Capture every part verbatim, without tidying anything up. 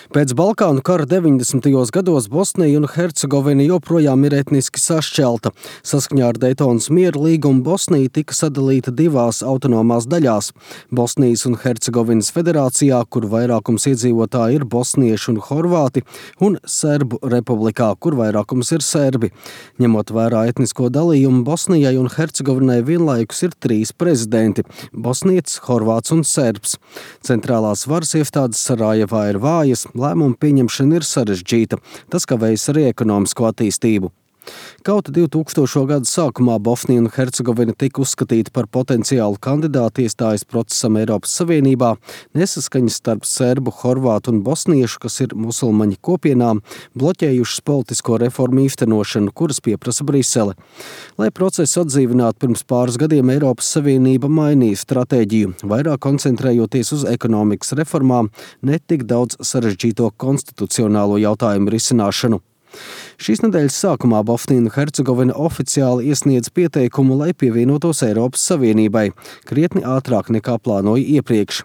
Pēc Balkānu kara deviņdesmitajos gados Bosnija un Hercegovina joprojām ir etniski sašķelta. Saskaņā ar Daytonas miera līgumu Bosnija tika sadalīta divās autonomās daļās – Bosnijas un Hercegovinas federācijā, kur vairākums iedzīvotāji ir bosnieši un horvāti, un Serbu republikā, kur vairākums ir serbi. Ņemot vērā etnisko dalījumu, Bosnijai un Hercegovinai vienlaikus ir trīs prezidenti – bosnietis, horvāts un serbs. Centrālās varas iestādes Sarajevā ir vājas, lēmumu pieņemšana ir sarežģīta. Tas kavējas arī ekonomisko attīstību. Kaut divtūkstošo gadu sākumā Bosnija un Hercegovina tika uzskatīta par potenciālu kandidātu iestājas procesam Eiropas Savienībā, nesaskaņas starp serbu, horvātu un bosniešu, kas ir musulmaņu kopienām, bloķējušas politisko reformu īstenošanu, kuras pieprasa Brisele. Lai procesu atdzīvinātu, pirms pāris gadiem Eiropas Savienība mainīja stratēģiju, vairāk koncentrējoties uz ekonomikas reformām, ne tik daudz sarežģīto konstitucionālo jautājumu risināšanu. Šīs nedēļas sākumā Bosnija un Hercegovina oficiāli iesniedz pieteikumu, lai pievienotos Eiropas Savienībai, krietni ātrāk nekā plānoja iepriekš.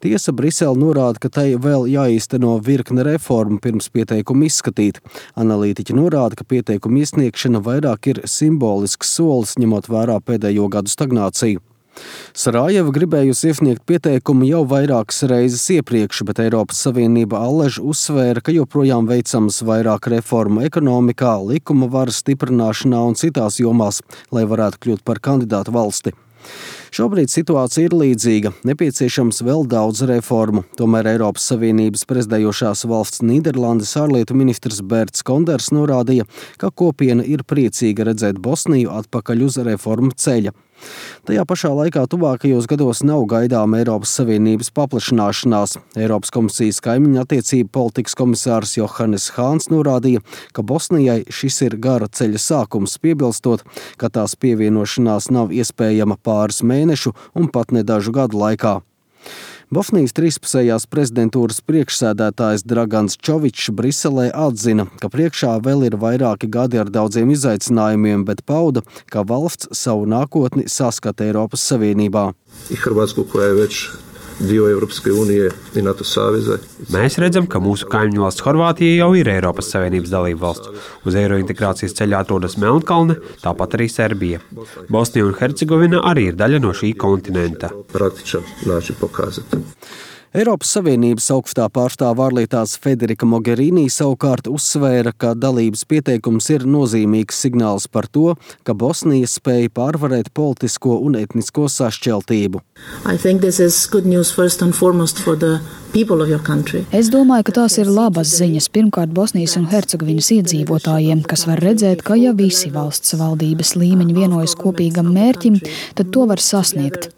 Tiesa Brisele norāda, ka tai vēl jāīsteno virkne reformu pirms pieteikumu izskatīt. Analītiķi norāda, ka pieteikumu iesniegšana vairāk ir simbolisks solis, ņemot vērā pēdējo gadu stagnāciju. Sarajeva gribējusi iesniegt pieteikumu jau vairākas reizes iepriekš, bet Eiropas Savienība allaž uzsvēra, ka joprojām veicams vairāk reformu ekonomikā, likuma varas stiprināšanā un citās jomās, lai varētu kļūt par kandidātu valsti. Šobrīd situācija ir līdzīga, nepieciešams vēl daudz reformu. Tomēr Eiropas Savienības prezidējošās valsts Nīderlandes ārlietu ministrs Berts Konders norādīja, ka kopiena ir priecīga redzēt Bosniju atpakaļ uz reformu ceļa. Tajā pašā laikā tuvākajos gados nav gaidāma Eiropas Savienības paplašināšanās. Eiropas komisijas kaimiņu attiecību politikas komisārs Johannes Hāns norādīja, ka Bosnijai šis ir gara ceļa sākums, piebilstot, ka tās pievienošanās nav iespējama pāris mēnešu un pat ne dažu gadu laikā. Bosnijas trīspusējās prezidentūras priekšsēdētājs Dragans Čovičs Briselē atzina, ka priekšā vēl ir vairāki gadi ar daudziem izaicinājumiem, bet pauda, ka valsts savu nākotni saskata Eiropas Savienībā. Mēs redzam, ka mūsu kaimiņu valsts Horvātija jau ir Eiropas Savienības dalība valsts. Uz eirointegrācijas ceļā atrodas Melnkalne, tāpat arī Serbija. Bosnija un Hercegovina arī ir daļa no šī kontinenta. Eiropas Savienības augstā pārstāve ārlietās Federika Mogherini savukārt uzsvēra, ka dalības pieteikums ir nozīmīgs signāls par to, ka Bosnija spēja pārvarēt politisko un etnisko sašķeltību. Es domāju, ka tās ir labas ziņas pirmkārt Bosnijas un Hercegovinas iedzīvotājiem, kas var redzēt, ka ja visi valsts valdības līmeņi vienojas kopīgam mērķim, tad to var sasniegt.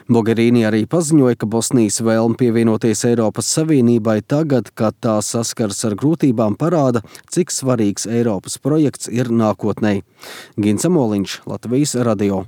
Mogherini arī paziņoja, ka Bosnijas vēlme pievienoties Eiropas Savienībai tagad, kad tā saskars ar grūtībām, parāda, cik svarīgs Eiropas projekts ir nākotnē. Gins Amoliņš, Latvijas radio.